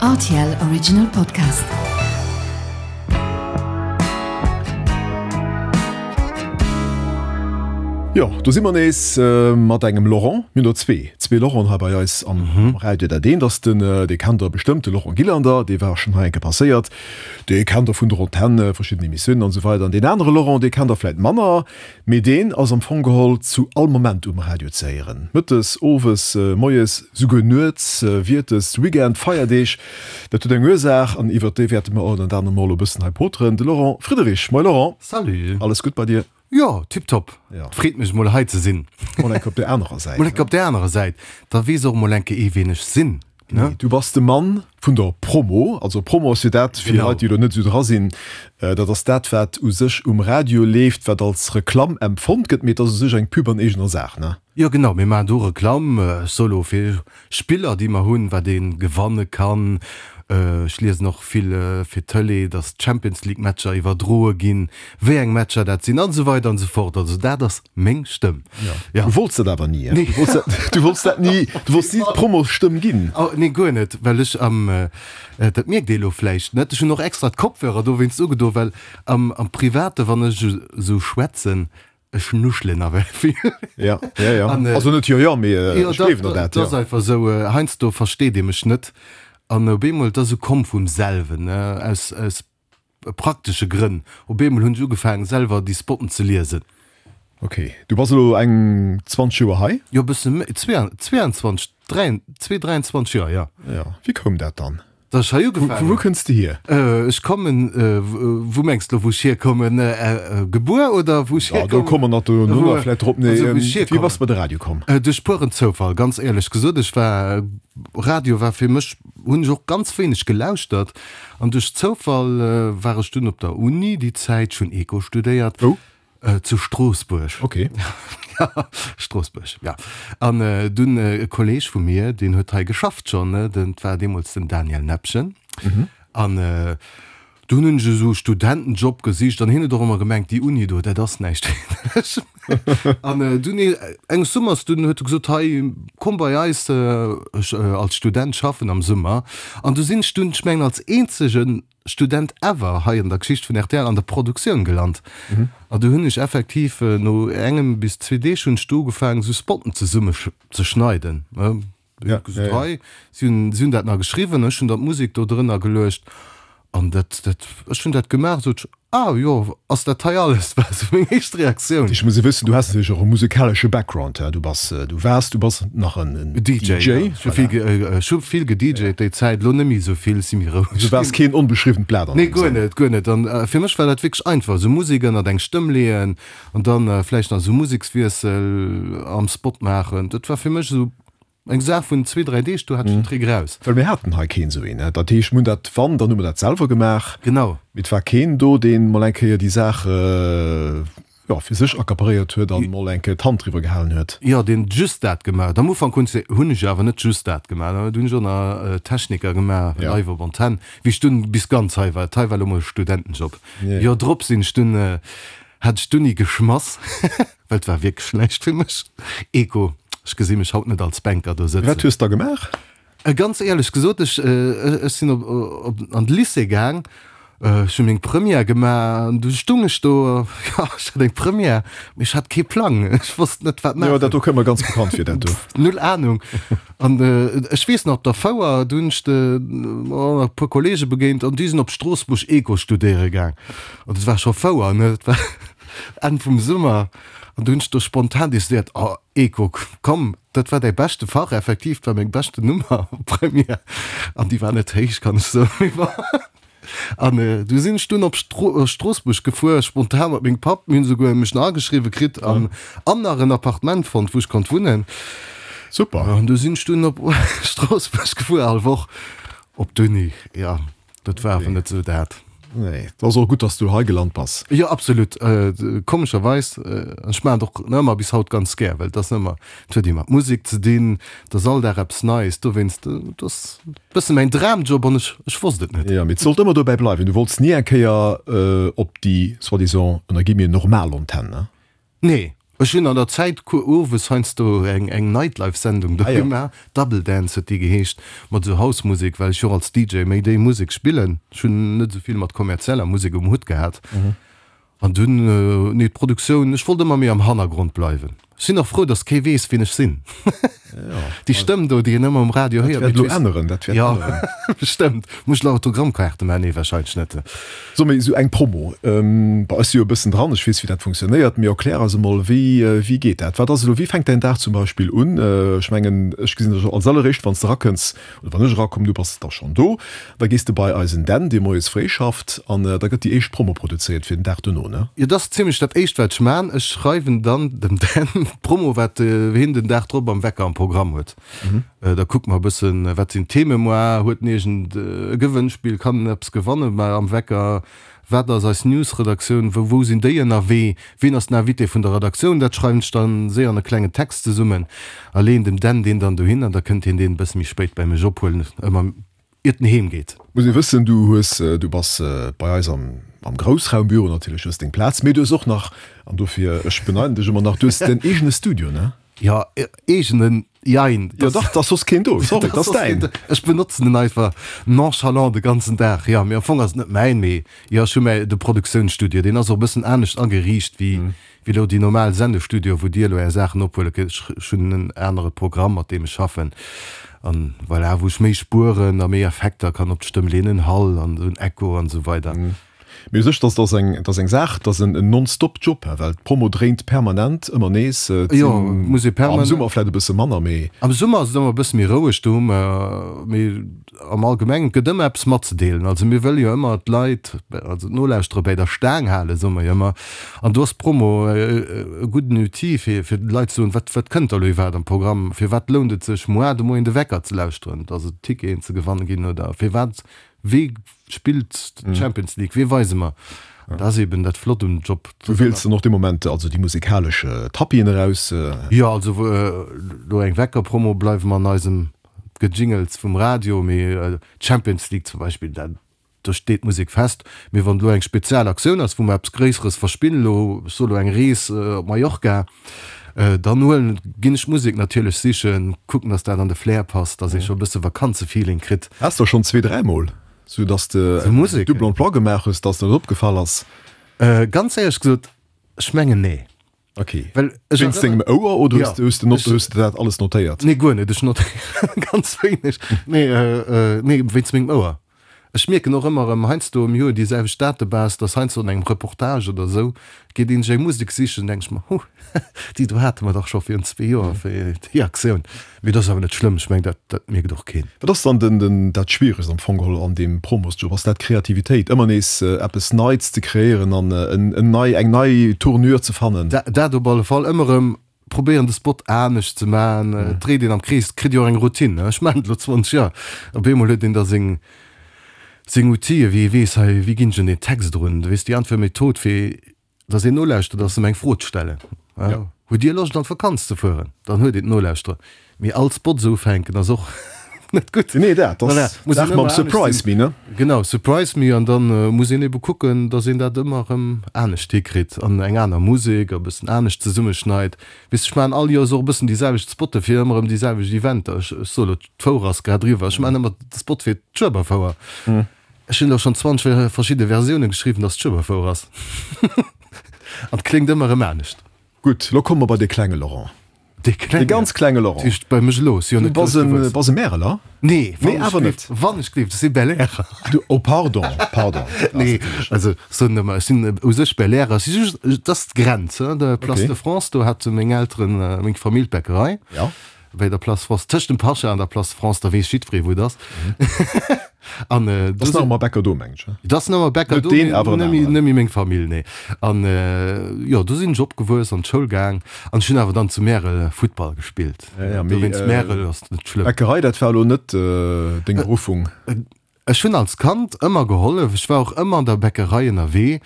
Rtl Original Podcast. Jo, do si mer nees mat engem Laurent. Mir hunn der zwee, zwee Laurenten hei bei eis am Radio. Dat eent ass den, dee kennt der bestëmmt, de Laurent Gillander, dee war schonn hei eng Kéier passéiert. Dee kennt der vun der Antenn, verschidden Emissiounen an esou weider. An deen anere Laurent, dee kennt der vläit manner. Mee deen ass am Fong geholl zu all Moment um Radio ze héieren, mëttes, owes, moies, souguer nuets, wiertes, Weekend, Feierdeeg. Dat huet eng Ursaach an iwwert déi wäerte mer och en aner Mol e bëssen hei poteren. De Laurent Friederich. Moie Laurent. Salut. Alles gutt bei dir? Jo, tiptop. Et freet mech mol hei ze sinn. Mol enke op där anerer Säit. Mol enke op där anerer Säit. Da weess och mol enke ee wien ech sinn. Nee, du bass de Mann vun der Promo. Also Promo ass jo dat, fir Leit, déi elo net esou dra sinn, dat ass dat, wat u sech um Radio leeft, wat als Reklamm empfonnt gëtt, mee et ass u sech eng Pub an eegener Saach, ne? Jo genau, mir maachen do Reklamm. Ech soe lo fir Spiller, déi mer hunn, wat ee gewanne kann. Ech liesen och vill fir d'Tëlee, datt d'Champions League Matcher iwwerdroe ginn, wéi eng Matcher dat sinn an esou weider an esou fort. Also dat ass Meng Stëmm. Ja. Du wollts dat awer ni. Nee. Du wollts dat, du wollts dat ni, du wollts ni d'Promostëmm ginn. Oh, nee, guer net, well ech am, dat mierkt ee lo vläicht net, ech hunn och extra d'Kopfhörer dowéinst ugedo, well am, am Private, wann ech esou schwätzen, ech nuschelen nawell vill. Ja, ja, ja. An, also net jo, jo, mee ech gleewen der dat, jo. Dat ass einfach esou, heiansdo versteet ee mech net an op eemol, et ass esou komm vum selwen, ne, aus, aus praktesche Grënn. Op eemol hunn ech ugefaangen, selwer déi Spotten ze liesen. Ok, du bass elo eng 20 Joer hei? Jo, e bësse méi, 22, 23 Joer, jo. Jo, wéi koum dat dann? Datt ech hei ugefaangen hunn? Vu wou kënns de hier? Ech kommen, wou mengs de elo, wou ech hierkommen? Gebuer oder wou ech hierkommen? Jo, do komme mer nach dono nach vläicht drop. Nee, wéi bass de bei de Radio komm? Duerch pueren Zoufall, ganz éierlech gesot. Ech war, Radio war fir mech, hunn ech och ganz wéineg gelauschtert. An duerch Zoufall war ech dunn op der Uni déi Zäit, ech hunn Eco studéiert. Wou? Zu Stroossbuerg. Ok. Stroossbuerg, ja. An dunn e Kolleeg vu mir, deen huet hei geschafft schonn, ne, dat war deemools den Daniel Nepgen. An dunn hunn ech esou e Studentenjob gesicht an hien huet och ëmmer gemengt, déi Uni do, dat ass näischt fir dech. An dunn enges Summers, dunn huet e gesot, hei komm bei eis als Student schaffen am Summer. An du sinn ech dunn, ech mengen als eenzege Student ever hei an der Geschicht vun rtl an der Produktioun gelant. An du hunn ech effektiv no engem bis zwee Deeg hunn ech du ugefaangen esou Spotten zesumme ze schneiden. Gesot, hei, si hunn, si hunn dat nach geschriwwen, ech hunn dann d'Musek do drënner geluecht an dat, dat, ech hunn dat gemaach, sot ech, ah jo, ass dat hei alles? War esou meng éischt Reaktioun. Ech muss wëssen, du has natierlech och e musekalesche Background, du bass, du waars, du bass nach en DJ, ja. Ech hu vill, ech hu vill gedjt déi Zäit, elo net méi esou vill, si méi roueg Du waars keen onbeschriwwent Blat an deem Sënn. Nee, guer net, guer net. An fir mech war dat wierklech einfach, esou Musek ënnert eng Stëmm leeën an dann vläicht nach esou Musekswiessel am Spot maachen. Dat war fir mech esou Eng Saach vun zwee, dräi Deeg, do hat ech den Trick raus. Well mir haten hei keen esou een. Dat heescht, mir hunn dat, wann, dann hu mer dat selwer gemaach. Genau. Mee et war keen do, deen mol eng Kéier déi Saach, jo, fir sech accaparéiert huet an mol eng Kéier d'Hand driwwer gehalen huet. Jo, deen just dat gemaach huet. Am Ufank hunn hunn ech awer net just dat gemaach. Do hunn ech och nach Techniker gemaach, live op Antenn, wéi ech dunn bis ganz hei war. Dat hei war elo mol e Studentenjob. Joer drop sinn ech dunn, hat ech d'Uni geschmass. Well et war wierklech näischt fir mech. Eco, ech gesi mech haut net als Banker do sëtzen. Wat hues da gemaach? Ganz éierlech gesot, ech ech sinn op op an de Lycée gaang, ech hu meng Première gemaach an du stung ech do, jo ech hat eng Première, mee ech hat kee Plang, ech wosst net wat maachen. Jo, dat do kënnt mer ganz bekannt vir, dat do. Null Anung. An ech weess nach op der Fouer, do hunn ech de e puer Kollege begéint an déi sinn op Stroossbuerg Eco studéiere gaang. An dat war scho Fouer, ne, dat war. Enn vum Summer, an du hunn ech do spontan decidéiert, oh Eco, komm, dat war däi beschte Fach, effektiv, dat war meng beschte Nummer op Première, an déi war net héich, kann ech soen, mee bon. An du sinn ech dunn op Stroossbuerg gefuer, spontan mat mengem Papp, mir hunn esouguer mech nach ageschriwwe kritt an an nach en Appartement fonnt, wou ech konnt wunnen. Super. An du sinn ech dunn op Stroossbuerg gefuer, all Woch op d'Uni, jo. Dat war awer net sou dat. Nee, et ass och gutt, dass du hei gelant bass. Jo, absolut. Komescherweis, an ech maachen et och nach ëmmer bis haut ganz gär, well et ass ëmmer, et huet ee mat Musek ze dinn, et ass all Dag eppes Neies, dowéinst, et ass e bësse mäin Dramjob an ech, ech wosst et net. Jo, mee et sollt ëmmer dobäi bleiwen, du wollts ni eng Kéier op déi soi-disant, ënner Guillemets, normal Antenn, ne? Nee. Ech hunn an der Zäit owes heiansdo eng eng Nightlife-Sendung do gemaach, Double Dance huet déi geheescht, mat esou House-Musek, well ech jo och als DJ méi déi Musek spillen. Ech hunn net esou vill mat kommerzieller Musek um Hutt gehat. An dunn, nee, d'Produktioun, ech wollt ëmmer méi am Hannergrond bleiwen. Ech sinn och frou, datt kee weess, wien ech sinn. Déi Stëmm do, déi een ëmmer um Radio héiert. Dat wäert elo änneren, dat wäert änneren. Jo, bestëmmt. Muss ech elo Autogrammkaarte maachen? Nee, warscheinlech net. So, mee esou eng Promo, bei eis si jo e bëssen dran, ech weess, wéi dat funktionéiert, mee erklär eis emol, wéi, wéi geet dat? Wat ass elo, wéi fänkt däin Dag zum Beispill un? Ech mengen, ech gesinn dech als alleréischt, wann s de erakënns, oder wann ech erakommen, du bass da schonn do, da gees de bei eisen Dan, dee moies fréi schafft, an da gëtt déi éischt Promo produzéiert fir den Dag dono, ne? Jo, dat ass zimlech dat éischt, wat ech man. Ech schreiwen dann dem Dan d'Promo, wat hien den Dag drop am Wecker am Programm huet. Da kucke mer e bëssen, wat sinn d'Theme moar, huet en iergend e Gewënnspill, kann en eppes gewanne am Wecker, Wat ass eis News-Redaktioun? Wou wou sinn déi ënnerwee? Wien ass den Invité vun der Redaktioun? Dat schreiwen ech dann séier an e klengen Text zesummen a leeën dem Dan deen dann dohin an da kënnt hien deen e bësse méi spéit bäi mech ophuelen, ëmmer iert en heem geet. Muss ee wëssen, du hues, du bass bei eis am am Groussraumbüro natierlech, hues deng Plaz, mee du hues och nach, an dofir, ech beneiden dech ëmmer nach, du hues däin eegene Studio, ne? Jo, eegenen, jein. Jo dach, 't ass soss keen do, sorry, 't ass däin. Ech benotzen en einfach nonchalant de ganzen Dag, jo. Mee am Fong ass et net mäin, mee jo, ech hu mäi, de Produktiounsstudio, deen ass och e bëssen anescht ageriicht wéi wéi elo déi normal Sendestudio, wou dir elo är Saachen ophuele kënnt. Ech hunn en anere Programm, mat deem ech schaffen an voilà, wou ech méi Spueren a méi Effekter kann op d'Stëmm leeën, en Hall an esou en Echo an esou weider. Mee u sech, dass ass eng, dass eng Saach, dass en non-stop Job, well d'Promo dréint permanent ëmmer nees. Et Jo, sinn muss ee am permanent. Summer vläit e bësse manner, mee. Am Summer ass et ëmmer e bësse méi roueg, do hu mer, mee am Allgemengen, et gëtt ëmmer eppes matzedeelen. Also mir wëlle jo ëmmer d'Leit, also d'Nolauschterer bäi der Staang halen, soe mer jo ëmmer. An do ass d'Promo e gudden Outil, fir, fir de Leit ze soen, wat, wat kënnt da elo iwwerhaapt am Programm, firwat lount et sech moar de Moien de Wecker ze lauschteren, dass et Ticketen ze gewanne ginn oder firwat, wee Spillt d'Champions League, wee weise mer? An dat ass eben dat Flott um Job. Du wiels dann och dee Moment also déi musekalesch Tapisen eraus? Jo, also elo eng Wecker-Promo bleiwe mer an eisem Gejingels vum Radio, mee d'Champions League zum Beispill, dat do steet d'Musek fest. Mee wann elo eng spezial Aktioun ass, wou mer eppes Gréisseres verspillen, elo ech soe elo eng Rees op Mallorca, dann huelen, ginn ech d'Musek natierlech sichen, kucken, datt dat an de Flair passt, datt ee scho e bësse Vakanzefeeling kritt. Has der schonn zwee, dräimol, sou datt de en Double emploi gemaach hues, datt der net opgefall ass? Ganz éierlech gesot, ech mengen nee. Ok. Well ech Wéinst dengem Ouer oder hues de, hues de not, hues de dat alles notéiert? Nee, guer net. Ech notéiere ganz wéineg. Nee, nee, wéinst mengem Ouer. Ech mierken och ëmmer erëm heiansdo am Joer déi selwecht Datebase, dass heiansdo an engem Reportage oder esou geet een sech eng Musek sichen, denke ech mer, huh, déi do hate mer dach scho virun zwee Joer fir déi Aktioun. Mee dat ass awer net schlëmm, ech mengen, dat, dat mierkt och keen. Wat ass dann den, den, dat Schwieregst am Fong geholl an deem Promosjob? Ass dat d'Kreativitéit, ëmmer nees eppes Neits ze kreéieren an en, en nei, eng nei Tournure ze fannen? Dat op alle Fall, ëmmer erëm probéieren de Spot anescht ze maachen, et dréit een am Krees, et kritt jo och eng Routine, ech maachen et elo 20 Joer, op eemol huet een da seng seng Outile wéi ee weess, hei wéi ginn ech un deen Text erun, du weess déi einfach Method fir datt een nolauschtert ass em eng Fro ze stellen, hutt Dir Loscht an d'Vakanz ze fueren, dann huet een d'Nolauschterer, Mee all Spot esou ufänken ass och net gutt. Nee, dat ass d'Saach mam Surprise me, ne? Genau, Surprise me an dann muss een ebe kucken, dass een dat ëmmer erëm anescht hikritt an eng aner Musek a bëssen anescht zesummeschneit. Weess de, ech maachen all Joers och e bëssen déi selwecht Spotte fir ëmmer erëm déi selwecht Eventer. Ech soe lo, d'Fouer ass grad eriwwer, ech maachen ëmmer de Spot fir d'Schueberfouer. Ech hunn elo schonn 20 verschidde Versiounen geschriwwen, dass d'Schueberfouer ass an et kléngt ëmmer erëm anescht. Gutt, lo komme mer bei dee klenge Laurent. Dee klenge? Dee ganz klenge Laurent. Dat heescht bei mech elo, si jo net grouss gewuess. Du bass e Märeler? Nee, Nee, awer net. Wann ech gleeft, ech si Belair. Du, oh pardon, pardon. Nee, also soen ëmmer, ech sinn u sech Belairer, ech si just, et ass d'Grenz, hein, der Place de France, do hate meng Elteren, meng Famill d'Bäckerei. Ja. Bei der Place France, tëscht dem Pascha an der Place France, da weess jiddweree wou et ass. An do ass nach ëmmer Bäcker do, mengen ech. Et ass nach ëmmer Bäcker do, mee net méi meng Famill, nee. An jo, do sinn ech opgewuess, an d'Schoul gaang an ech hunn awer dann zu Märel Futtball gespillt. Dowéinst Märel ass net schlëmm. Bäckerei, dat war elo net deng Beruffung? Ech hunn als Kand ëmmer gehollef, ech war och ëmmer an der Bäckerei ënnerwee,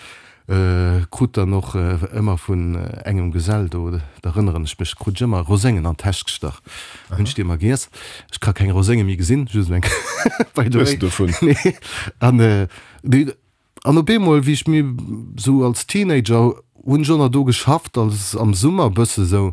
krut dann och ëmmer vun engem Gesell do, da erënneren ech mech, krut ech ëmmer Roséngen an d'Täsch gestach, hunn ech déi ëmmer giess. Ech ka keng Rosénge méi gesinn, just eng, by the way. Hues de dovun? Nee. An, an op eemol, wéi ech méi sou als Teenager. Hunn ech och nach do geschafft als am Summer e bësse sou,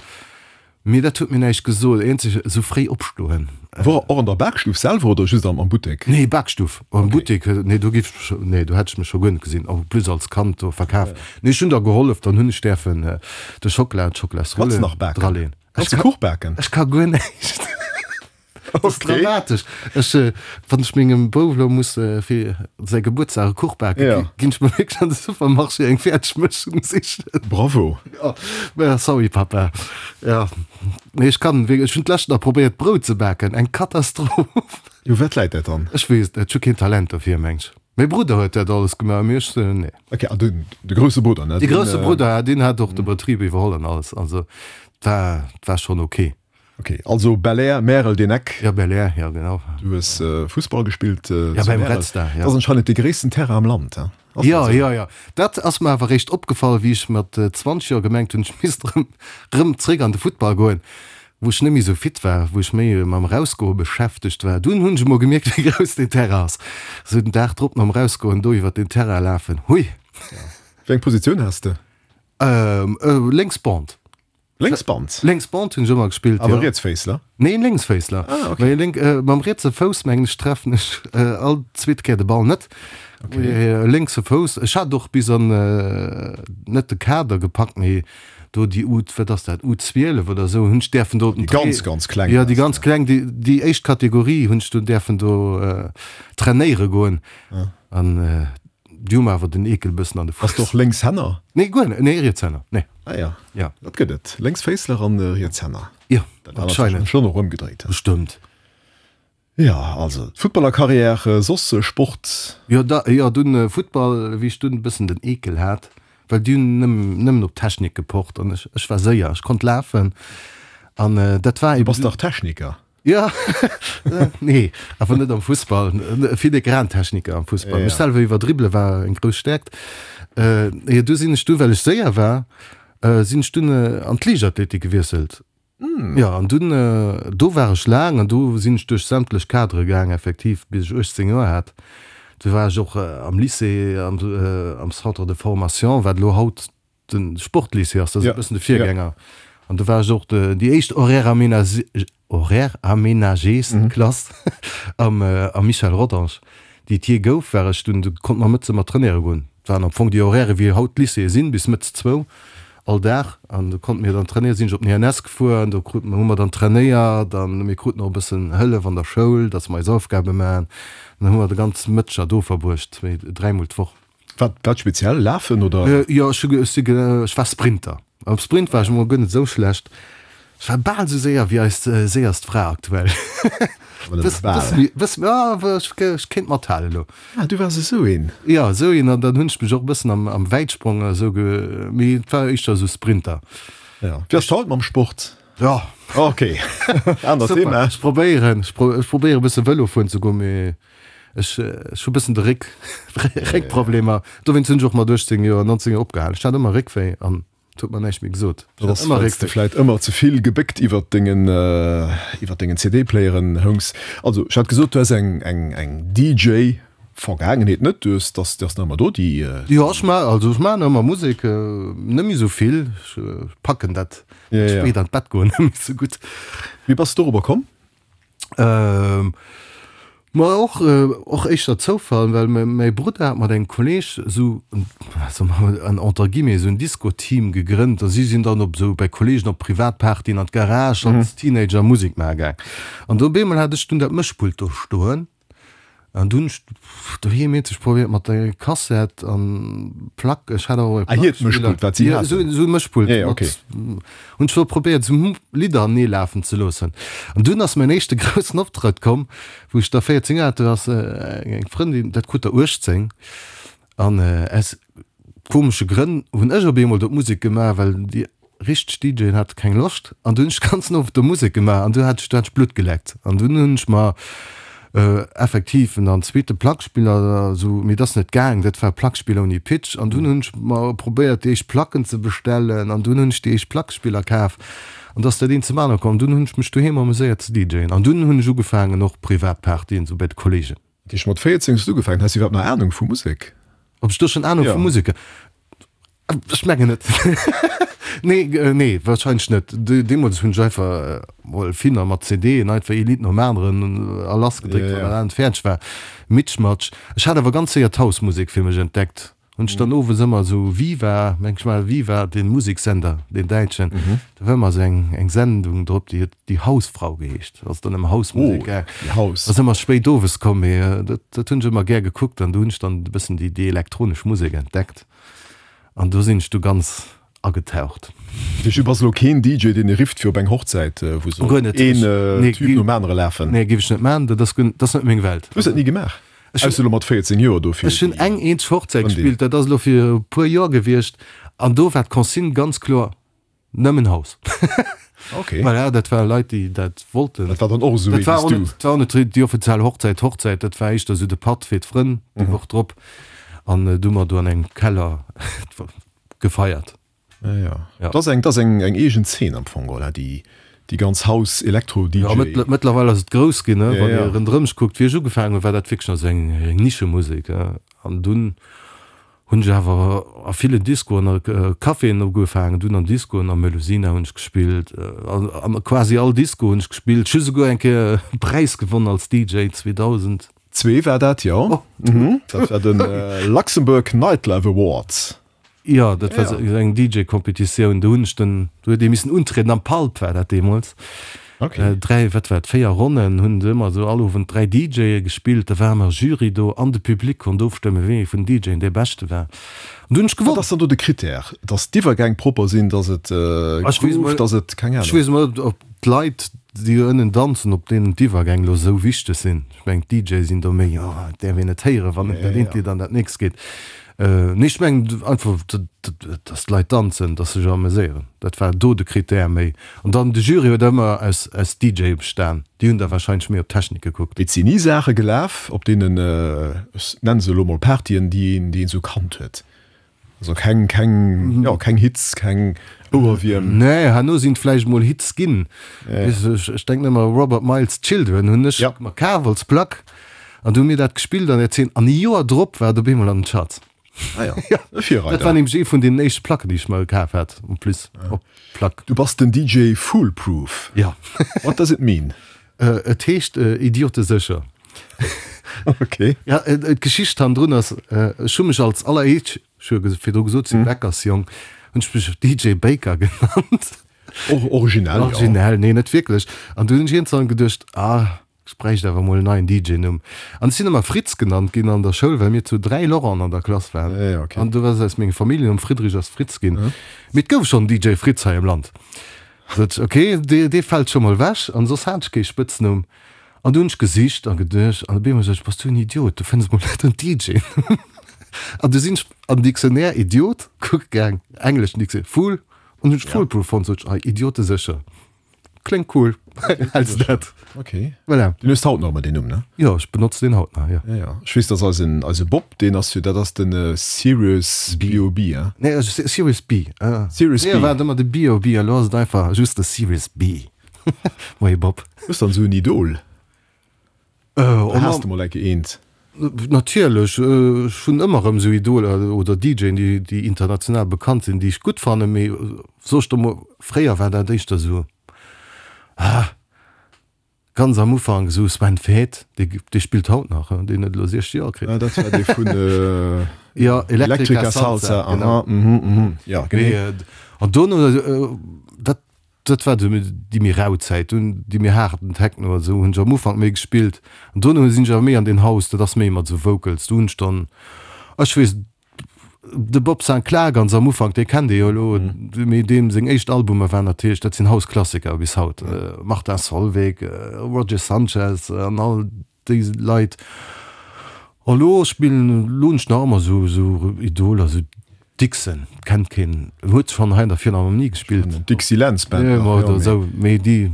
mee dat huet mir näischt gesot. Eenzeg esou fréi opstoen. Wor och an der Bakstuff selwer oder just am Buttek? Nee, Bakstuff. Am Buttek, nee do giff ech, nee do hätt ech mech scho guer net gesinn. En plus als Kand do Verkaf. Nee, ech hunn da gehollef, dann hunn ech däerfen de Schockela, d'Schocklasrulle draleen. Kanns de Kuch baken? Ech ka guer näischt. Dat ass dramatesch. Ech, wann ech mengem Bouf elo muss fir säi Gebuertsdag e Kuch baken, ginn ech mer wierklech an de Supermarché eng Fäerdegmëschung sichen. Bravo! Jo, mä sorry Papa. Jo, mee ech kann wierklech, ech hunn d'lescht nach probéiert Brout ze baken, eng Katastroph. U wat läit dat dann? Ech weess et net, ech hu keen Talent dofir, meng ech. Mäi Brudder huet dat alles gemaach, mee ech, nee. Ok, an den, de grousse Brudder, ne? De grousse Brudder, deen hat och de Betrib iwwerholl an alles, also 't war, 't war schonn ok. Ok, also Belair, Märel, deen Eck. Jo, Belair, jo genau. Du hues Fussball gespillt zu Märel. Ja, beim Red Star, jo. Dat ass anscheinend dee gréissten Terrain am Land, he? Jo, jo, jo. Dat ass mer awer eréischt opgefall, wéi ech mat 20 Joer gemengt hunn, ech misst erëm, erëm zréck an de Futtball goen, wou ech net méi esou fit war, wou ech méi mam Erausgoe beschäftegt war. Dunn hunn ech emol gemierkt, wéi grouss deen Terrain ass. Esou den Dag drop nom Erausgoen do iwwer deen Terrain lafen, hui! Wéi eng Positioun has de? Lénks Band. Lénksband? Lénksband hunn ech ëmmer gespillt, jo. Awer Rietsféissler? Neen, Lénksféissler. Ah, okay. Well lénk, mam rietse Fouss, mengen ech, treffen ech all zweet Kéier de Ball net. Okay. Lénkse Fouss. Ech hat och bis an, net de Kader gepackt, mee do déi U, wat ass dat, U12 oder esou, hunn ech däerfen do. Déi ganz, ganz kleng. Jo, déi ganz kleng, déi, déi éischt Kategorie hunn ech do däerfen do trainéiere goen. An Déi hu mer awer den Eekel bëssen an de Fuuss. Bass de och Lénkshänner? Nee, guer net. Nee, Rietshänner, nee. Ah ja. Ja. Dat gëtt et. Lénksféissler an Rietshänner. Jo, Dat war anscheinend schonn och ëmgedréit. Bestëmmt. Ja, also d'Futtballerkarriär, soss Sport? Jo, da, jo, dunn Futtball, wéi ech dunn e bëssen den Eekel hat, well déi hunn nëmmen, nëmmen op Technik gepocht an ech, ech war séier, ech konnt lafen an dat war Du bass dach Techniker? Jo, nee, awer net am Fussball. Filigrantechniker am Fussball. Mech selwer iwwerdribbele war eng grouss Stäerkt. Jo, du sinn ech du, well ech séier war, sinn ech dunn an d'Liichtathletik gewiesselt. Jo, an dunn, do war ech laang an do sinn ech duerch sämtlech Kadere gaang, effektiv, bis ech 18 Joer hat. Du war ech och am Lycée, am Centre de formation, wat elo haut De Sportlycée ass, dat ass e bëssen de Virgänger. An do war ech och déi éischt Horaire aménagés Klass am Michel Rodange, déi et jee gouf, war ech dunn. Do konnte mer mëttes ëmmer trainéiere goen. Et waren am Fong déi Horairë wéi haut d'Lycéeë sinn, bis mëttes zwou all Dag. An do konnte mir dann trainéieren. Sinn ech op den INS gefuer an do kruten, hu mer dann trainéiert an mir kruten och e bëssen Hëllef an der Schoul, datt mer eis Aufgabe maachen. An dann hu mer de ganz Mëtteger do verbruecht, zwéi, dräimol d'Woch. Wat, wat speziell? Lafen oder? Jo, ech hu, ech si, ech war Sprinter. Am Sprint war ech emol guer net esou schlecht. Ech war bal esou séier wéi eis séierst Fra aktuell. Awer nëmme bal. Bësse méi, bësse méi, ah, ech, ech kéint mathalen elo. Ah, du waars esou een. Jo, esou een. An dann hunn ech mech och e bëssen am, am Wäitsprong esou ge, mee et war éischter esou Sprinter. Ja. Wéi ass et haut mam Sport? Jo. Ok, anert Thema. Ech probéieren, ech probéieren e bësse Vëlo fueren ze goen, mee Ech hu bëssen de Réck, Réckproblemer. Dowéinst hunn ech och mat 18 Joer, 19 Joer opgehalen. Ech hat ëmmer Réckwéi an et huet mer näischt méi gesot. Dat ass, well s de vläit ëmmer ze vill gebéckt iwwert dengen, iwwert dengen CD-Playeren houngs. Also, ech hat gesot, du häss eng, eng, eng DJ-Vergaangenheet net. Du hues, dass, déi ass nach ëmmer do, déi. Jo, ech ma, also ech maachen ëmmer Musek, net méi esou vill. Ech packen dat spéit an d'Bett goen net méi esou gutt. Wéi bass de dorobber komm? Ähm, ma och, och éischter Zoufall, well mäi Brudder hat mat engem Kolleg esou en, entre guillemets, esou en Disco-Team gegrënnt a si sinn dann op esou bei Kollegen op Privatpartyen an d'Garage als Teenager Musek maache gaang. An do op eemol hat ech dunn dat Mëschpult do stoen An dunn hunn ech doheem eenzeg probéiert mat der Kassett an Plack, ech hat awer och e Ah, hiert Mëschpult, wat si haten? Esou esou e Mëschpult Ja, ja, okay. mat, hunn ech do probéiert esou Lidder anee lafen ze loossen. An dunn ass mäin éischte groussen Optrëtt komm, wou ech da 14 Joer hat, do ass eng Frëndin, dat krut der 18, an aus komesche Grënn hunn ech op eemol do d'Musek gemaach, well déi richteg DJen hate keng Loscht an du hunn ech de ganzen Owend do Musek gemaach an du hat ech du hat ech Blutt geleckt an dunn hunn ech mer effektiv en zweete Plackspiller esou, mee et ass net gaang, dat war e Plackspiller ouni Pitch an dunn hunn ech mer probéiert déi éischt Placken ze bestellen an dunn hunn ech déi éischt Plackspiller kaf an da ass dat eent zum anere komm an dunn hunn ech mech doheem amuséiert ze DJen an dunn hunn ech ugefaangen och privat Partyen esou bei de Kollegen. Dat heescht mat 14 hues du ugefaangen, has du iwwerhaapt nach Anung vu Musek? Ob ech do schonn Anung vu Musek? Ech mengen net. Nee, nee, wahrscheinlech net. Deemools hunn ech einfach mol Finner mat CDen einfach ee Lidd nom aneren a lass gedréckt, wann dat anert fäerdeg war. Mitschmatsch. Ech hat awer ganz séier d'House-Musek fir mech entdeckt. Hunn ech dann owes ëmmer esou Viva, meng ech mal, Viva, dee Museksender, deen däitschen, do war ëmmer esou eng, eng Sendung drop, déi huet Die Hausfrau geheescht. Ass dann ëm House-Musek gaang. Oh, die Haus. Ass ëmmer spéit owes komm, mee dat, dat hunn ech ëmmer gär gekuckt an do hunn ech dann e bëssen déi, déi elektronesch Musek entdeckt an do sinn ech du ganz agetaucht. Du bass elo keen DJ, deen ee rifft fir op eng Hochzäit, wou soll een Typ nom anere lafen? Nee, géif ech net maachen, dat ass, dat ass net meng Welt. Hues dat ni gemaach? Ausser elo mat 14 Joer do fir. Ech hunn eng eenzeg Hochzäit gespillt, dat ass elo fir e puer Joer gewiescht an do war d'Consigne ganz kloer, nëmmen House. Ok. Voilà, dat ware Leit, déi dat wollten. Dat war dann och esou ee wéi s du. Dat war och net déi offiziell Hochzäit, Hochzäit, dat war éischter esou de Patt fir d'Frënn déi Woch drop an du hu mer do an engem Keller gefeiert. Ja, ja. Ja. Dat ass eng, dat ass eng, eng eegen Zeen am Fong, oder? Déi, déi ganz House, Elektro, DJ. Ja, mëttlerweil ass et grouss ginn, ne? Wann ee ronderëm sech kuckt. Wéi ech ugefaangen hunn, war dat wierklech nach esou eng, eng Nischemusek, an dunn hunn ech awer a villen Discoen a Caféen ugefaangen, dunn an Discoen, am Melusina hunn ech gespillt, an quasi all Disco hunn ech gespillt. Ech hu souguer eng Kéier e Präis gewonnen als DJ 2000. Zwee war dat, jo. Dat war de Luxembourg Nightlife Awards. Jo, dat war sou eng DJ-Competitioun. Do hunn ech den, do huet ee missen untrieden, am Pulp war dat deemools. Okay. Dräi, wat war et, véier Ronnen hunn se ëmmer esou all Owend dräi DJe gespillt. Da war ëmmer Jury do an de Public konnt ofstëmmen, wéi ee vun den DJen dee beschte war. An do hunn ech Wat gewonnen. ass dann do de Critère? Dass d'Iwwergäng propper sinn, dass et groovt, dass et, keng Ech Ahnung. weess emol net, ob d'Leit, déi do ënnen danzen, ob deenen d'Iwwergäng elo esou wichteg sinn. Ech mengen, d'DJe sinn do méi, oh, et däerf een net héieren, wann dat eent Lidd an dat nächst geet. Nee, ech mengen einfach, datt d'Leit danzen, datt se sech ameséieren. Dat war do de Critère méi. An dann de Jury huet ëmmer aus aus DJe bestan. Déi hunn da warscheinlech méi op d'Technik gekuckt. Et sinn ni Saache gelaf op deenen, ech nennen se elo mol Partyen, déi een, déi een esou kannt huet. Also keng, keng, jo, keng Hits, keng Ouerwierm. Nee, herno sinn et vläicht mol Hits ginn. Weess ech, ech denken ëmmer Robert Miles Children hunn ech mer kaf als Plack. An du hu mir dat gespillt an der Zeen an e Joer drop war et op eemol an den Charts. Ah ja, e Virreider. Dat war nämlech ee vun deenen éischte Placken, déi ech mer kaf hat, en plus op Plack. Du bass den DJ Foolproof. Ja. What does it mean? Et heescht idiotesécher. Ok. Ja, d'Geschicht hannendrun ass, ech hu mech als alleréischt, ech hu jo virdru gesot, ech si Bäckersjong, hunn ech mech DJ Baker genannt. Originell, jo. Originell, nee, net wierklech. An du hunn ech iergendwann geduecht, ah, Ech bräicht awer mol en neien DJ-Numm. An ech sinn ëmmer Fritz genannt ginn an der Schoul, well mir zu 3 Laurenten an der Klass waren. Ja, okay. An du ass aus mengem Familljennumm Friedrich ass Fritz ginn. Mee et gouf schonn en DJ Fritz hei am Land. Sot ech, okay, dee, dee fält scho mol wech. An soss hat ech kee Spëtznumm. An du hunn ech gesicht a geduecht, an op eemol sot ech, Bass du en Idiot, du fënns mol net en DJ-Numm. An du sinn ech am Dictionnaire Idiot kucke gaang, engleschen Dictionnaire, Fool, an hunn ech Foolproof fonnt, sot ech, ah, idiotesécher. Kléngt cool. Häls dat? Okay. Voilà. Den hues haut nach ëmmer deen Numm, ne? Jo, ech benotzen deen haut nach, jo. Ja, ja. Ech weess, dass eisen, eise Bob, deen ass jo, dat ass den Serious BOB, hein? Nee, Serious B. Serious B. Fréier war et ëmmer de BOB, elo ass et einfach just de Serious B. Moie Bob. Hues dann esou en Idol? Oder has de mol enke eent? Natierlech, ech hunn ëmmer erëm esou Idoler oder DJen, déi, déi international bekannt sinn, déi ech gutt fannen, mee soe ech der mol, fréier war dat éischter esou, ah, ganz am Ufank esou Sven Väth, dee, dee spillt haut nach, deen huet elo 60 Joer kritt. Ah, dat war dee vun Jo, Electrica Salsa, aha, mhm, mhm, jo, genee. An dono, dat Dat war déi méi rau Zäit, dunn déi méi haarden Techno an esou hunn ech am Ufank méi gespillt an dono sinn ech awer méi an deen House, dat ass méi mat esou Vocals. Do hunn ech dann, ech weess, de Bob Sinclar ganz am Ufank, dee kennt ee jo elo, mee deem seng éischt Albumer waren natierlech, dat sinn House-Klassiker bis haut, Martin Solveig, Roger Sanchez an all déi Leit. Elo spillen, elo hunn ech nach ëmmer esou esou Idoler, esou Dixon, kennt keen, huet schonn hei an der Philharmonie gespillt. Dixieland Band nach, jo, mee. Esou, mee déi,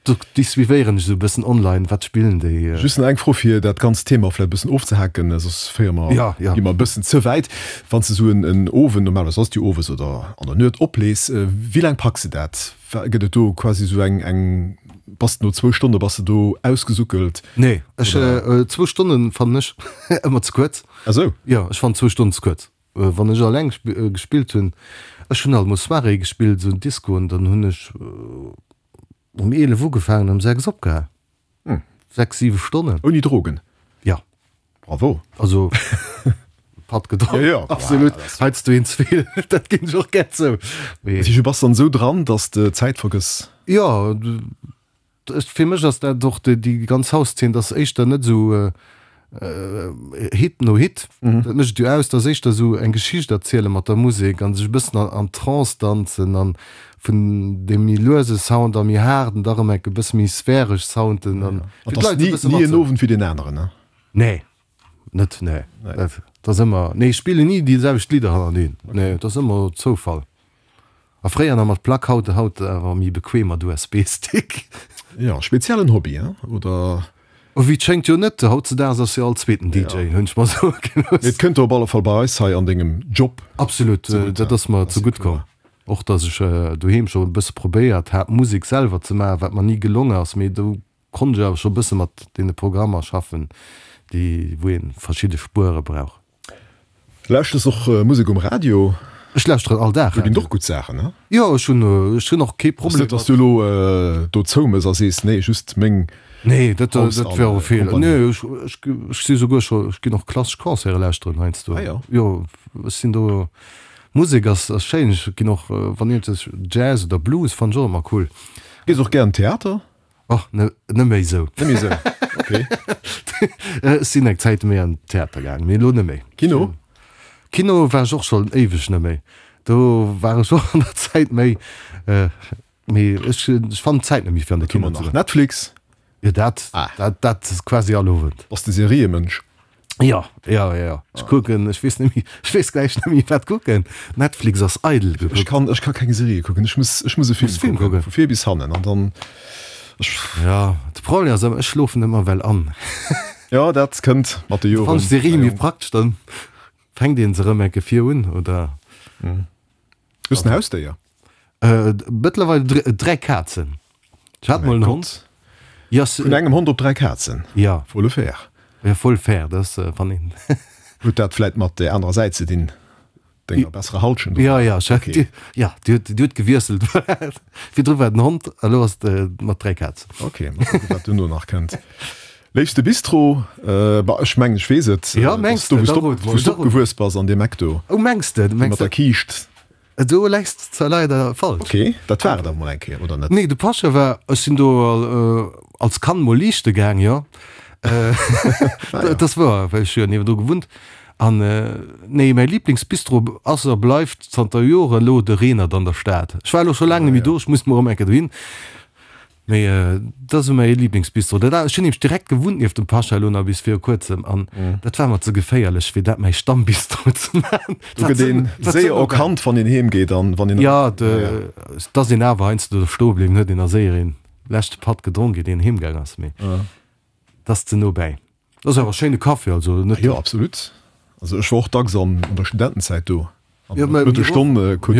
déi suivéieren ech esou e bëssen online, wat spillen déi. Just nach eng Fro fir dat ganzt Thema vläicht e bëssen ofzehaken, soss féiere mer, gi mer e bëssen ze wäit. Wann s de esou en Owend, normalerweis ass et jo owes oder an der Nuet, oplees, wéi laang packs de dat? Gëtt et do quasi esou eng, eng, bass de no zwou Stonne bass de do ausgesuckelt? Nee, ech, zwou Stonnen fannen ech ëmmer ze kuerz. Ah sou? Jo, ech fannen zwou Stonnen ze kuerz. Wann ech alleng gespillt hunn, ech hunn alt mol Soirée gespillt, esou Discoen, dann hunn ech um 11 ugefaangen, um 6 opgehal. 6, 7 Stonnen. Ouni Drogen? Ja. Bravo. Also Patt gedronk. Ja, ja. Absolut. Heiansdo een ze vill, dat ginn ech och gär zou. Mee. Du bass dann esou dran, dass de d'Zäit vergëss? Jo, ech, fir mech ass dat och déi ganz House-Zeen, dat ass éischter net esou Hit no Hit, dat mécht et jo aus, dat ass éischter esou eng Geschicht erziele mat der Musek an sech e bëssen an Trance danzen an vun deem méi luese Sound a méi haarden da rëm enk e bësse méi sphäresch Sounden an fir d'Leit e bësse mat. Ni en Owend wéi deen aneren, ne? Nee, net, nee. Dat ass ëmmer, nee, ech spillen ni déi selwecht Lidder hannereen, nee, dat ass ëmmer Zoufall. A fréier nach mat Plack, haut haut awer méi bequem mat USB-Stick. Jo, speziellen Hobby, hein, oder? Oh, wéi et schéngt jo net, hautzedaags ass jo all zweeten DJ, hunn ech mer soe gelooss. Mee et kënnt der op alle Fall bei eis hei an dengem Job Absolut, zegutt, dat ass mer zegutt komm. Och datt ech doheem scho e bësse probéiert hat Musek selwer ze maachen, wat mer ni gelonge ass, mee do konnt ech awer scho e bësse mat deene Programmer schaffen, déi wou ee verschidde Spuere brauch. Lauschters och Musek um Radio? Ech lauschteren all Dag Do ginn et och gutt Saachen, ne? Jo, ech hunn, ech hunn och kee Problem mat. Ass net, dass du elo do zoumëss a sees, nee, just meng Nee, dat, dat wär och e Feeler. Nee, ech, ech, ech si souguer scho, ech ginn och klassesch Concerte lauschteren heiansdo. Ah jo. Jo, ech sinn do, Musek ass, ass schéin. Ech ginn och, wann iergendwes Jazz oder Blues fannen ech och ëmmer cool. Gees och gär an Theater? Och ne, net méi esou. Net méi esou, ok. Ech sinn eng Zäit méi an den Theater gaangen, mee elo net méi. Kino? Kino war ech och schonn éiweg net méi. Do war ech och an der Zäit méi, mee ech, ech fannen d'Zäit net méi fir an de Kino ze goen. Netflix? Jo, dat, dat, dat quasi all Owend. Bass de Seriemënsch? Jo, jo, jo. Ech kucken, ech weess net méi, ech weess gläich net méi wat kucken. Netflix ass eidel gekuckt. Ech kann, ech ka keng Serie kucken. Ech muss, ech muss e Film Muss Film kucken. Vu vir bis hannen an dann, ech. Jo, de Problem ass ëmmer, ech schlofen ëmmer well an. Jo, dat kënnt mat de Joren. Fannen ech Serie méi praktesch, dann fänkt een se erëm enke vir un, oder? Hues en Hausdéier? Mëttlerweil 3 Kazen. Ech hat mol en Hond. Vun engem Hond op 3 Kazen? Jo. Faut le faire. Jo, faut le faire, dat ass wann een. Huet dat vläit mat där anerer Säit ze dinn, denger besserer Halschent? Jo, jo, jo, déi huet gewiesselt. Virdru war et en Hond, elo ass et mat 3 Kazen. Ok, mol kucken, wat duerno nach kënnt. Léifste Bistro? Bah, ech mengen, ech weess et. Jo, mengs de? Do, wou s de opgewuess bass, an deem Eck do. Oh, mengs de? Mat der Kiischt. Do läis de leider falsch. Ok, dat war et awer mol eng Kéier, oder net? Nee, de Pascha war, ech sinn do als Kand mol liichte gaang, jo. Dat ass wouer, well ech hu jo niewendru gewunnt. An nee, mäi Liblingsbistro ass a bleift zanter Joren elo de Renert an der Stad. Ech war elo scho laang net méi do, ech muss mol erëm eng Kéier dohin. Mee dat ass esou mäi Liblingsbistro. Dat ech hunn nämlech direkt gewunnt nieft dem Pascha elo nach bis viru kuerzem an dat war mer ze geféierlech fir dat mäi Stammbistro ze maachen. Do gëtt een séier erkannt wann een heem geet an wann een. Jo, et ass een awer heiansdo do stoe bliwwen, huet een a séier een leschte Patt gedronk iert een heem gaang ass. Mee dat ass ze no bäi. Dat ass awer e schéine Café, also net. Jo, absolut. Also ech war och dacks an der Studentenzäit do. An der Mëttesstonn krut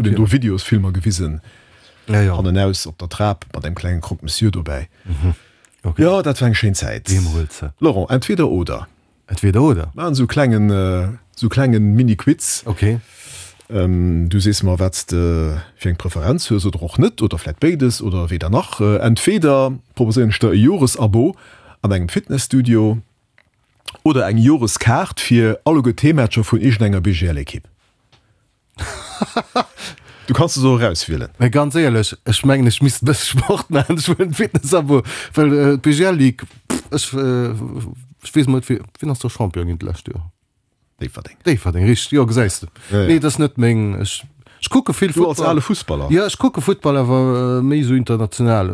een do Videosfilmer gewisen, hannenaus op der Trap mat engem klengen Croque-Monsieur dobäi. Jo, dat war eng schéin Zäit. Laurent, entweder oder. Entweder oder. Maachen esou klengen, esou klengen Mini-Quiz. Ok. Du sees mer, wat s de fir eng Preferenz hues oder och net, oder vläit béides oder weder nach. Entweder proposéieren ech der e Joresabo an engem Fitnesstudio oder eng Joreskaart fir alleguer d'Heemmatcher vun iergendenger BGL-Ekipp. Du kanns es och erauswielen. Mä ganz éierlech, ech mengen ech misst e bësse Sport maachen, ech wëll en Fitnessabo, well d'BGL Ligue, ech ech weess mol net wien, wien ass do Champion ginn d'lescht Joer? Déifferdeng. Déifferdeng, richteg, jo gesäis de. Nee, dat ass net meng, ech ech kucke vill Futtball. Du als ale Fussballer. Jo, ech kucke Futtball, awer méi esou international.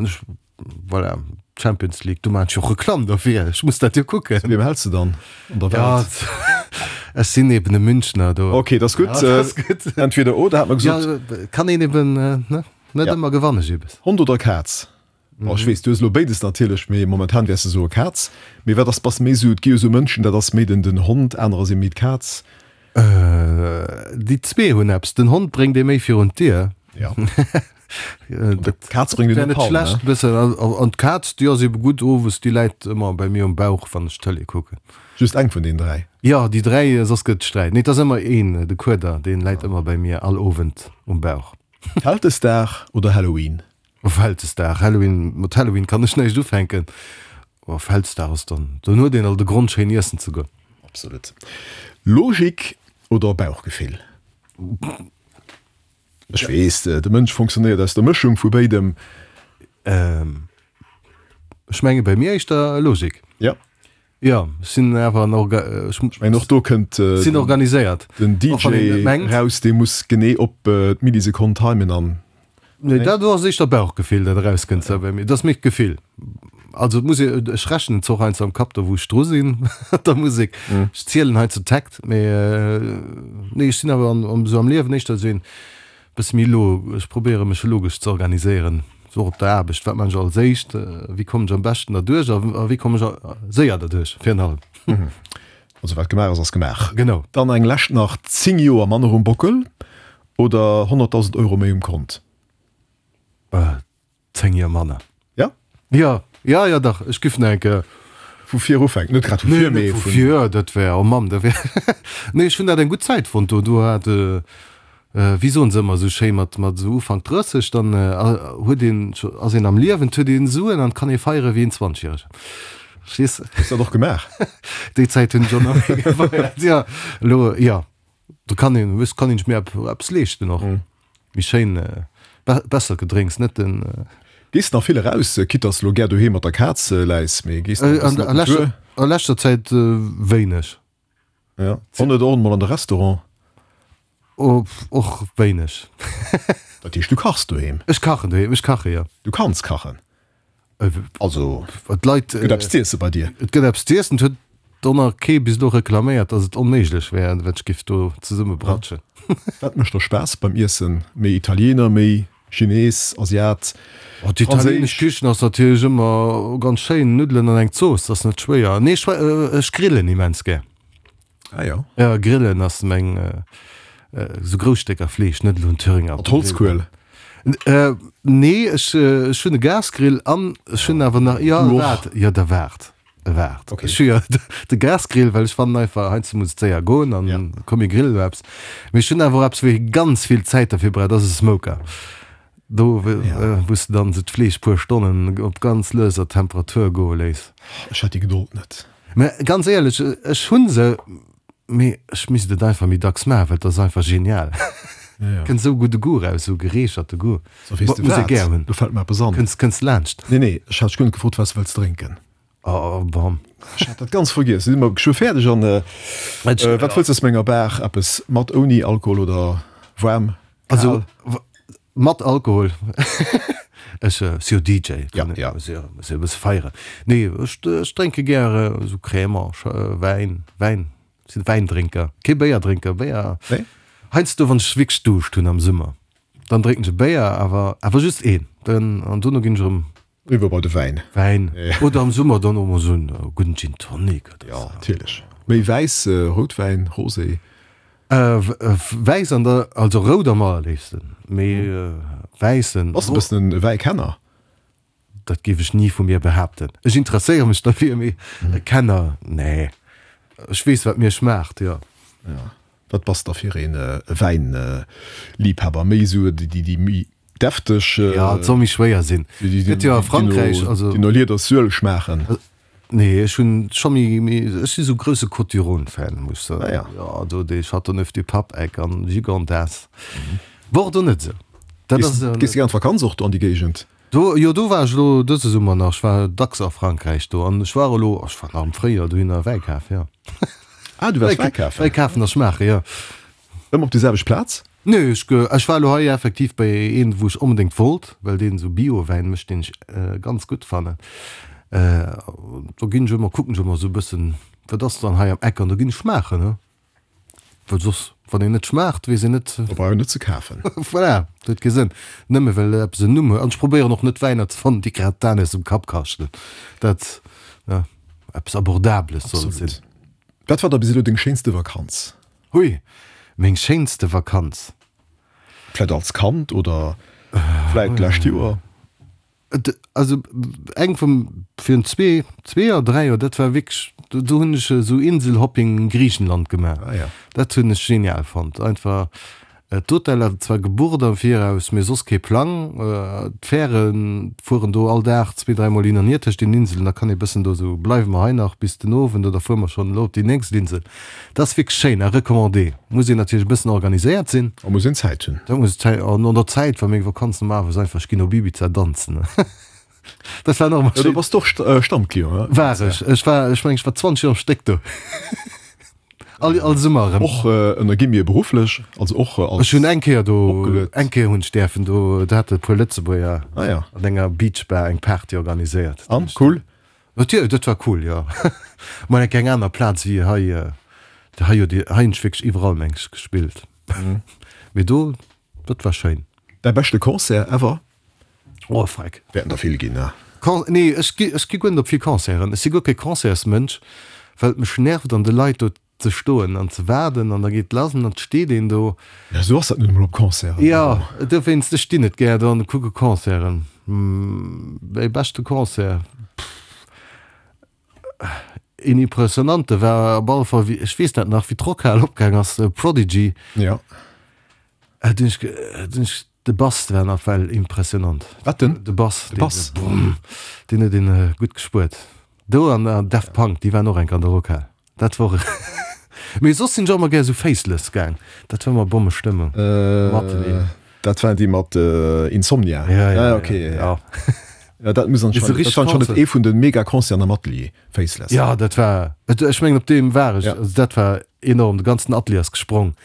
Voilà, Champions League, do maan ech jo Reklamm derfir, ech muss dat jo kucken. Zu wiem häls de dann an der Welt? Ja, ech sinn eben e Münchner do. Ok, dat ass gutt. Ja, dat ass gutt. Entweder oder hat mer gesot. Ja, kann een eben, ne, net ëmmer gewann ech eben. Hond oder Kaz? Bon, ech weess, du hues elo béides natierlech, mee momentan wäers de soe Kaz. Mee wat ass, bass méi esou, et gi jo esou Mënschen, dat ass méi den den Hond, anerer si méi d'Kaz. Déi zwee hunn eppes. Den Hond bréngt ee méi virun d'Dier. Ja. D'Kaz bréngt een op d'Palm, ne? Schlecht bëssen. An d'Kaz, déi ass ebe gutt owes, déi läit ëmmer bei mir um Bauch, wann ech Tëlee kucken. Just eng vun deenen 3? Jo, déi 3, soss gëtt et Sträit. Nee, et ass ëmmer een, de Kueder, deen läit ëmmer bei mir all Owend um Bauch. Vältesdag oder Halloween? Vältesdag. Halloween, mat Halloween kann ech näischt ufänken. Oh, Vältesdag ass dann, dann huet een alt e Grond schéin iessen ze goen. Absolut. Logik oder Bauchgefill? Ech weess, de Mënsch fonctionnéiert aus der Mëschung vu béidem. Ech menge bei mir éischter Logik. Ja. Jo, ech sinn awer en Orga, ech mengen och do kënnt sinn organiséiert. Den DJ raus, dee muss genee op d'Millisekonn timen an. Nee, dat do ass éischter Bauchgefill, dat erauskënnt sou bei mir. Dat ass méi d'Gefill. Also et muss ee, ech rechnen zwar och heiansdo am Kapp do wou ech dru sinn mat der Musek. Ech zielen heiansdo Takt, mee nee ech sinn awer an esou am Liewen éischter esou een bësse méi lo, ech probéiere mech logesch ze organiséieren, sou och op der Aarbecht, wat man ech als éischt, wéi kommen ech am beschten derduerch a wéi kommen ech séier derduerch virun allem. Also wat gemaach ass, ass gemaach. Genau. Dann eng lescht nach, 10 Joer manner um Bockel oder 100.000 Euro méi um Kont? 10 Joer manner. Ja? Ja, ja, ja dach, ech giff nach eng Kéier. Vu vir ufänken, net grad vu vir, mee vu vir, dat wär, oh Mann, dat wär, nee, ech hunn dat eng gutt Zäit fonnt do, do hat, wéi soen se ëmmer esou schéi, mat, mat esou Ufank 30, dann huet een, ass een am Liewen, huet een Suen an kann ee feiere wéi een Zwanzegjäregen. Verstees de? Hues dat och gemaach? Déi Zäit hunn ech och nach méi gefeiert, jo, elo, jo. Do kann een, wëss, kann een sech méi eppes leeschten och. Méi schéin, bessert Gedrénks, net den. Gees de nach vill eraus, quitte dass de lo gär doheem mat der Kaz läis, mee gees de nach e bëssen op den Tour? A leschter Zäit wéineg. Ja, och net och emol an de Restaurant? Och wéineg. Dat heescht, du kachs doheem? Ech kachen doheem, ech kache, jo. Du kanns kachen? Also, d'Leit, et gëtt eppes z'iessen bei dir? Et gëtt eppes z'iessen. Et huet och nach kee bis elo reklaméiert, datt et onméiglech wär, wat ech géif do zesummebratschen. Wat mécht der Spaass beim Iessen? Méi Italiener, méi Chines, Asiat, Oh, D'italieenesch Kichen ass natierlech ëmmer ganz schéin. Nuddelen an eng Zooss, dat ass net schwéier. Nee, ech grillen immens gär. Ah jo. Ja, grillen ass meng, esou grouss Stécker Fleesch, net elo en Thüringer. Mat Holzkuel? Nee, ech ech hunn e Gasgrill an ech hunn awer nach, jo waart, jo da waart, waart. Okay. Ech hu jo de Gasgrill, well ech fannen einfach, heiansdo muss et séier goen an komm mir grillen elo eppes. Mee ech hunn awer och eppes, wou ee ganz vill Zäit derfir brauch, dat ass e Smoker. Do wou s de dann esou d'Fleesch puer Stonnen op ganz lueser Temperatur goe léiss. Ech hätt déi Gedold net. Mä ganz éierlech, ech hu se, mee ech misst et einfach méi dacks maachen, well et ass einfach genial. Kënnt esou gudde Goût raus, esou gereecherte Goût. So, weess de Muss ee wat? gär hunn. Do fält mer eppes an. Kënns, kënns laanscht. Nee, nee, ech hat dech guer net gefrot, wat s de wëlls drénken. Oh, bon. Ech hat dat ganz vergiess. Si mer geschwë fäerdeg an wat wëlls de aus menger Bar? Eppes mat, ouni Alkohol oder waarm, kal? Also, Mat Alkohol. Ech si jo DJ, Ja, ja. muss jo muss jo e bësse feieren. Nee, ech ech drénke gär esou Crémant, Wäin, Wäin, ech sinn Wäindrénker, kee Béierdrénker. Béier, Nee? heiansdo wann ech wierklech Duuscht hunn am Summer, dann drénken ech e Béier, awer awer just een, dann an dono ginn ech erëm Eriwwer bei de Wäin. Wäin. Oder am Summer dann och mol esou en gudden Gin Tonic oder esou. Jo, natierlech. Méi wäiss, Routwäin, Rosé? Wäiss an der, also rout am allerléifsten, mee wäissen. Bass de e bëssen e Wäikenner? Dat géif ech ni vu mir behaapten. Ech interesséiere mech derfir, mee e Kenner, nee. Ech weess, wat mir schmaacht, jo. Jo. Wat bass da fir een Wäinliibhaber? Méi esou déi méi Defteg. Ja, et soll méi schwéier sinn. Gëtt jo a Frankräich, also. Déi no Liedersuel schmaachen. Nee, ech hunn scho méi, méi, ech si sou grousse Côtes du Rhône Fan, muss ech soen. Ah ja. Jo, do dee Châteauneuf-du-Pape Eck an Gigondas. Bordeaux net esou. Dat ass. Gees de gär an d'Vakanz och do an déi Géigend? Do, jo, do war ech elo dëse Summer nach. Ech war dacks a Frankräich do an ech war elo, ech war nach am Fréijoer dohinner Wäi kafen, jo. Ah, du waars Wäi kafen? Wäi kafen a schmaachen, jo. Ëmmer op déi selwecht Plaz? Nee, ech, ech war elo hei effektiv bei een, wou ech onbedéngt wollt, well deen esou Bio-Wäin mécht, deen ech ganz gutt fannen. Do ginn ech ëmmer, kucken ech ëmmer esou e bëssen, wat ass dann hei am Eck an da ginn ech schmaachen, ne? Well soss, wann een net schmaacht, weess een net. Da brauch een net ze kafen. Voilà, dat huet kee Sënn. Nëmme well eppes en Numm huet. An ech probéieren och net Wäiner ze fannen, déi grad d'Aen aus dem Kapp kaschten. Dat, ne, eppes Abordables soll et sinn. Absolut. Wat war da bis elo deng schéinste Vakanz? Hui, meng schéinste Vakanz? Vläit als Kand oder vläit d'lescht Joer? Also eng vum virun zwee, zwee Joer, dräi Joer, dat war wierklech, do hunn ech esou Inselhopping in Griichenland gemaach. Ah ja. Dat hunn ech genial fonnt. Einfach d'Hoteller zwar gebucht am Viraus, mee soss kee Plang. D'Fähre fueren do all Dag zwee, dräimol hin an hier tëscht den Inselen. Da kann ee bëssen do esou, bleiwe mer hei nach bis den Owend oder fuere mer schonn elo op déi nächst Insel. Dat ass wierklech schéin a recommandé. Muss een natierlech e bëssen organiséiert sinn. A muss een Zäit hunn. Da muss Zäit, an an der Zäit war meng Vakanz normalerweis einfach, ech ginn op Ibiza danzen. Dat war nach ëmmer schéin. Du bass och Stammclient, ne? War ech. Ech war, ech mengen, ech war 20 Joer am Stéck do. All, all Summer erëm. Och ënner gi mir berufflech, also och als. Ech hunn eng Kéier do, eng Kéier hunn ech däerfen do, do hate e puer Lëtzebuerger ah, ja. an enger Beachbar eng Party organiséiert. An, cool? Natierlech, dat war cool, jo. Mol eng eng aner Plaz wéi hei. Hei huet hei hunn ech wierklech iwwerall meng ech gespillt. Mee do, dat war schéin. Däi beschte Concert ever? Oh freck. Wäerten der vill ginn, ne? Con, nee, ech gi ech gi guer net op vill Concerten. Ech si guer kee Concertsmënsch, well et mech nervt an de Leit do ze stoen an ze waarden an da geet lass an dann steet een do. Ja, esou ass dat nun emol op Concerten. Jo, dowéinst, ech stinn net gär do an kucke Concerten. Mäi beschte Concert, pff, een impressionante war op alle Fall, wéi, ech weess dat nach, wéi d'Rockhal opgaang ass, Prodigy. Ja. Do hunn ech, do hunn ech, de Bass war nawell impressionant. Wat den? De Bass. De Bass. Deen, deen huet een gutt gespuert. Do an Daft Punk, déi waren och enk an der Rockhal. Dat wor Mee soss sinn ech och emmer gär sou Faceless gaang. Dat war emmer Bommestëmmung. Mateneen. Dat waren déi mat Insomnia? Ja, ja, ok. Ja. Ja, dat muss anscheinend, dat war anscheinend ee vun de Mega-Concerten am Atelier, Faceless. Ja, dat war, ech mengen op deem war ech. Ja. Also dat war enorm, de ganzen Atelier ass gesprong.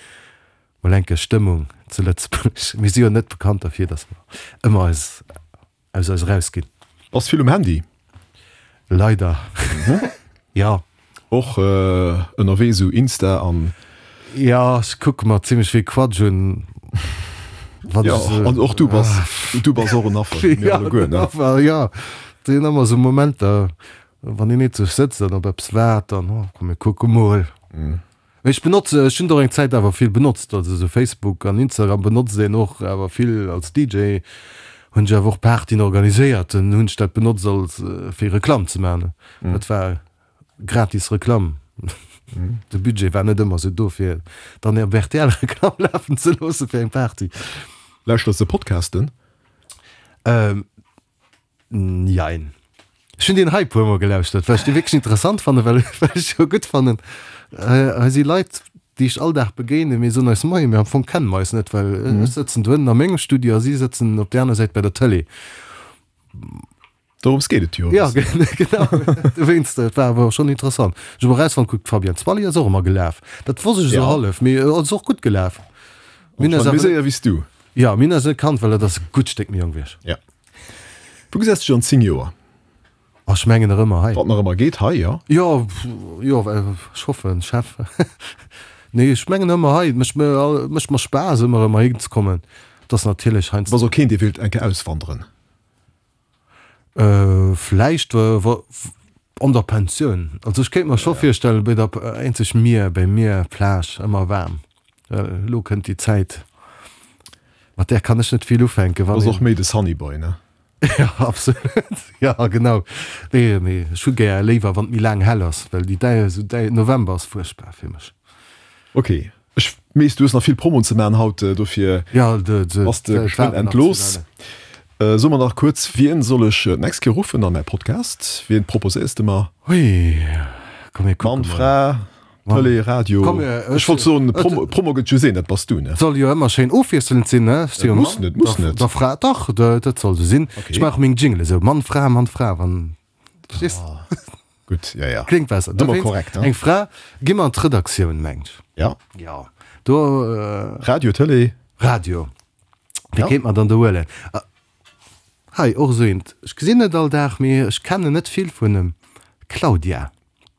Mol enke Stëmmung zu Lëtzebuerg. Mir si jo net bekannt derfir, datt mer ëmmer eis aus eis erausginn. Bass vill um Handy? Leider jo. Och ënnerwee sou Insta an. Jo, ech kucke mer zimlech vill Quatsch un. Wann jo, an och du bass, du bass och en Affer, wéi mir alleguer, ne? Affer, jo. Et sinn ëmmer sou Momenter, wann een eenzeg sëtzt an op eppes waart, dann, oh komm mir kucke mol. Mee ech benotze, ech hunn et och eng Zäit awer vill benotzt, also esou Facebook an Instagram benotzt een och awer vill als DJ hunn ech awer och Partyen organiséiert, dann hunn ech dat benotzt als fir Reklamm ze maachen. Dat war gratis Reklamm. De Budget war net ëmmer esou do fir dann op rtl Reklamm lafen ze loosse fir eng Party. Lauschters de Podcasten? Jein. Ech hunn deen hei puer mol gelauschtert, well ech dee wierklech interessant fannen, well well ech jo gutt fannen, hei si Leit, déi ech all Dag begéinen, mir soen eis Moien, mee am Fong kenne mer eis net, well ech sëtzen do ënnen a mengem Studio a si sëtzen op där aner Säit bei der Tëlee. Dorëms geet et jo e bëssen. Ja, genau. Dowéinst, et war awer schonn interessant. Ech hu erausfonnt, kuck, d'Fabienne Zwally ass och ëmmer gelaf. Dat wosst ech esou hallef, mee ass och gutt gelaf. Mir hunn eis awer. Méi séier wéi s du. Jo, mir hunn eis net kannt, well dat ass e gutt Stéck méi jonk wéi ech. Ja. Wou gesäis de dech an 10 Joer? Oh, ech mengen nach ëmmer hei. Wann nach ëmmer geet, hei, jo? Jo, jo, ech hoffen, Chef. Nee, ech mengen ëmmer hei. Et mécht mir, mécht mer Spaass, ëmmer erëm heihin ze kommen. Et ass natierlech heiansdo. Du bass och keen, dee wéilt eng Kéier auswanderen? Vläicht wa, an der Pensioun. Also ech kéint mer scho virstellen, bei der, eenzeg Mier, bei Mier, Plage, ëmmer waarm. Elo kënnt déi Zäit, mat där kann ech net vill ufänken. Wann Bass och méi de Sunny Boy, ne? Ja, absolut. Ja, genau. Nee, mee ech hu gär léiwer, wann et méi laang hell ass, well déi däi, esou däi November ass fuerchtbar fir mech. Ok, ech weess, du hues nach vill Promoen ze maachen haut, dofir Ja, de, de, bass de geschwënn entlooss. So mer nach kuerz, wien soll ech d'nächst Kéier ruffen an mäi Podcast? Wien proposéiers de mer? Hui, komm mir kucke Mann, mol. Fra? Tëlee, Radio, ech wollt soen, Promo, Promo gëtt just een, dat bass du, ne? Soll jo ëmmer schéin ofwiesselnd sinn, ne? Et muss net, muss net. Der Fra, dach, dat soll sou sinn. Ech maache meng Jingle esou, Mann, Fra, Mann, Fra, wann, verstees? Gutt, ja, ja. Kléngt besser. Ëmmer korrekt, ne? Eng Fra, gi mer an d'Redaktioun, mengt ech. Ja. Ja, do. Radio, Tëlee? Radio. Wie kéint mer dann do huelen? Hei, och esou eent, ech gesinn net all Dag, mee ech kennen net vill vun em, Claudia.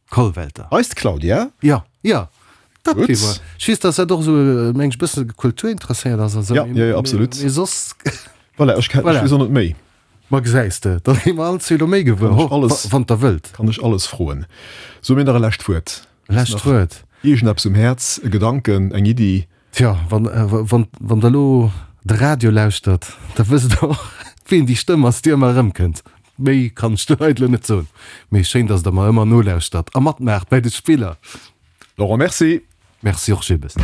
Kollwelter. Eist Claudia? Jo, jo, dat gi mer. Ech weess, dass dat och esou, meng ech, e bësse kulturinteresséiert ass a sou. Ja, jo, jo, absolut. Mee soss. Voilà, ech ken, ech weess och net méi. Ma gesäis de, da gi mer all zwee elo méi gewuer, Kann ech alles, wann der wëllt. Kann ech alles froen. So mir nach e lescht Wuert. Lescht Wuert. Iergendeppes um Häerz, e Gedanken, eng Iddi? Tjo, wann, wann, wann der elo de Radio lauschtert, da wësst der och. Ween déi Stëmm ass, déi ëmmer erëmkënnt. Méi kann ech de Leit elo net soen. Mee schéin, dass der mer ëmmer nolauschtert a matmaacht bäi de Spiller. Laurent, merci. Merci och, Gilles.